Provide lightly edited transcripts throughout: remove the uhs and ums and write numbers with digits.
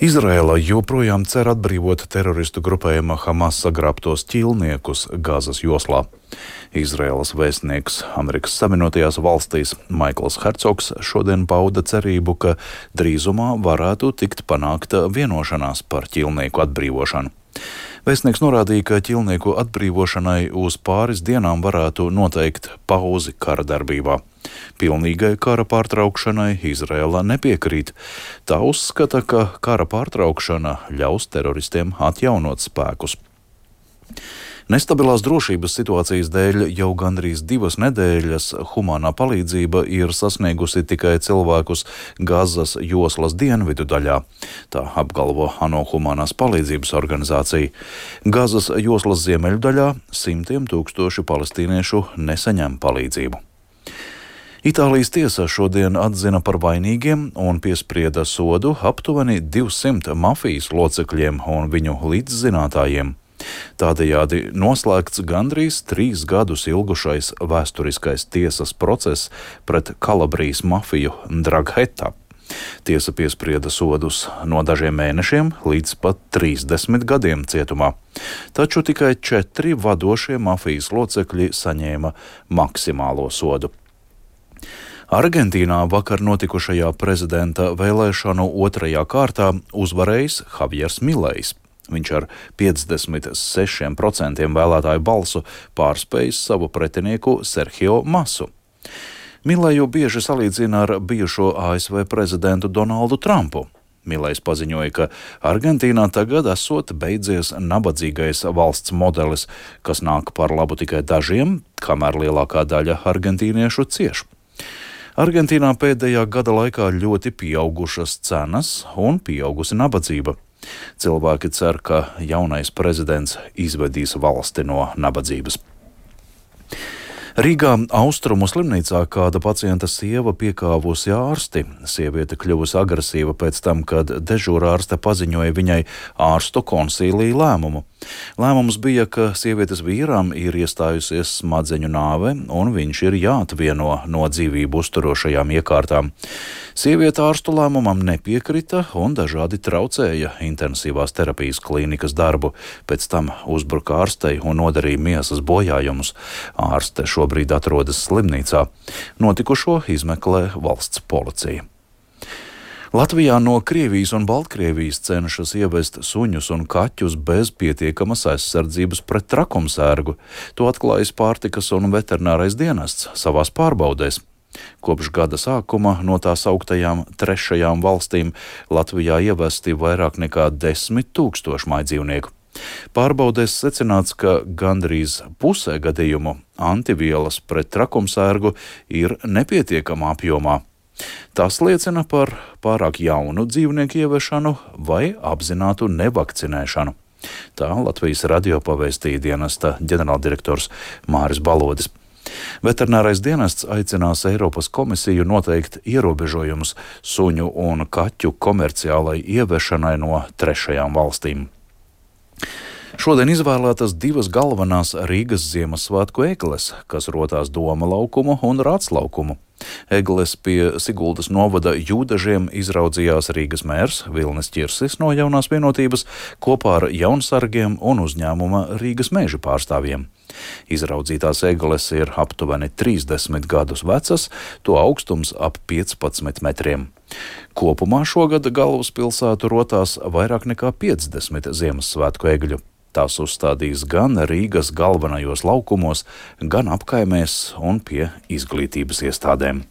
Izraela joprojām cer atbrīvot teroristu grupējuma Hamas sagrābtos ķīlniekus Gazas joslā. Izraēlas vēstnieks Amerikas Savienotajās valstīs Maikls Hercogs šodien pauda cerību, ka drīzumā varētu tikt panākta vienošanās par ķīlnieku atbrīvošanu. Vēstnieks norādīja, ka ķīlnieku atbrīvošanai uz pāris dienām varētu noteikt pauzi kara darbībā. Pilnīgai kara pārtraukšanai Izraela nepiekrīt. Tā uzskata, ka kara pārtraukšana ļaus teroristiem atjaunot spēkus. Nestabilās drošības situācijas dēļ jau gandrīz 2 nedēļas humānā palīdzība ir sasniegusi tikai cilvēkus Gazas joslas dienvidu daļā. Tā apgalvo ANO humanās palīdzības organizācija. Gazas joslas ziemeļu daļā simtiem tūkstoši palestīniešu nesaņem palīdzību. Itālijas tiesa šodien atzina par vainīgiem un piesprieda sodu aptuveni 200 mafijas locekļiem un viņu līdzzinātājiem. Tādējādi noslēgts gandrīz 3 gadus ilgušais vēsturiskais tiesas process pret Kalabrijas mafiju Ndragheta. Tiesa piesprieda sodus no dažiem mēnešiem līdz pat 30 gadiem cietumā. Taču tikai 4 vadošie mafijas locekļi saņēma maksimālo sodu. Argentīnā vakar notikušajā prezidenta vēlēšanu otrajā kārtā uzvarējis Javiers Milejs. Viņš ar 56% vēlētāju balsu pārspējis savu pretinieku Sergio Masu. Mileju bieži salīdzina ar bijušo ASV prezidentu Donaldu Trumpu. Milejs paziņoja, ka Argentīnā tagad esot beidzies nabadzīgais valsts modelis, kas nāk par labu tikai dažiem, kamēr lielākā daļa argentīniešu cieš. Argentīnā pēdējā gada laikā ļoti pieaugušas cenas un pieaugusi nabadzība. Cilvēki cer, ka jaunais prezidents izvedīs valsti no nabadzības. Rīgā Austrumu slimnīcā kāda pacienta sieva piekāvusi ārsti. Sieviete kļuvusi agresīva pēc tam, kad dežūrārste paziņoja viņai ārstu konsīlija lēmumu. Lēmums bija, ka sievietes vīram ir iestājusies smadzeņu nāve un viņš ir jāatvieno no dzīvību uzturošajām iekārtām. Sieviete ārstu lēmumam nepiekrita un dažādi traucēja intensīvās terapijas klīnikas darbu. Pēc tam uzbruka ārstei un nodarīja miesas bojājumus. Ārste šobrīd atrodas slimnīcā. Notikušo izmeklē valsts policija. Latvijā no Krievijas un Baltkrievijas cenšas ievest suņus un kaķus bez pietiekamas aizsardzības pret trakumsērgu. To atklājas Pārtikas un veterinārais dienests savās pārbaudēs. Kopš gada sākuma no tā sauktajām trešajām valstīm Latvijā ievesti vairāk nekā 10 000 majdzīvnieku. Pārbaudēs secināts, ka gandrīz pusē gadījumu antivielas pret trakumsērgu ir nepietiekamā apjomā. Tas liecina par pārāk jaunu dzīvnieku ieviešanu vai apzinātu nevakcinēšanu. Tā Latvijas radio pavēstīja dienesta ģenerāldirektors Māris Balodis. Veterinārais dienests aicinās Eiropas komisiju noteikt ierobežojumus suņu un kaķu komerciālai ieviešanai no trešajām valstīm. Šodien izvēlētas 2 galvenās Rīgas Ziemassvētku egles, kas rotās Doma laukumu un Rāts laukumu. Egles pie Siguldas novada Jūdažiem izraudzījās Rīgas mērs Vilnis Ķirsis no Jaunās Vienotības kopā ar jaunsargiem un uzņēmuma Rīgas meža pārstāvjiem. Izraudzītās egles ir aptuveni 30 gadus vecas, to augstums ap 15 metriem. Kopumā šogad galvaspilsētu rotās vairāk nekā 50 Ziemassvētku egļu. Tās uzstādīs gan Rīgas galvenajos laukumos, gan apkaimēs un pie izglītības iestādēm.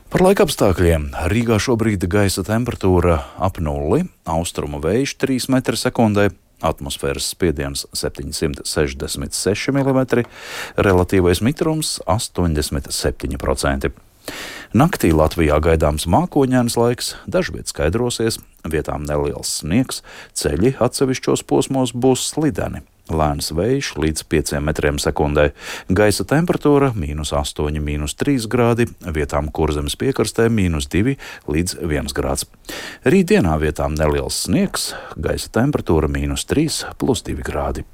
Par laikapstākļiem. Rīgā šobrīd gaisa temperatūra ap 0, austrumu vējš 3 metri sekundē, atmosfēras spiediens 766 mm, relatīvais mitrums 87%. Naktī Latvijā gaidāms mākoņains laiks, dažviet skaidrosies, vietām neliels sniegs, ceļi atsevišķos posmos būs slideni. Lēns vējš līdz 5 metriem sekundē, gaisa temperatūra -8, -3 grādi, vietām Kurzemes piekrastē -2 līdz 1 grāds. Rītdienā vietām neliels sniegs, gaisa temperatūra -3 + 2 grādi.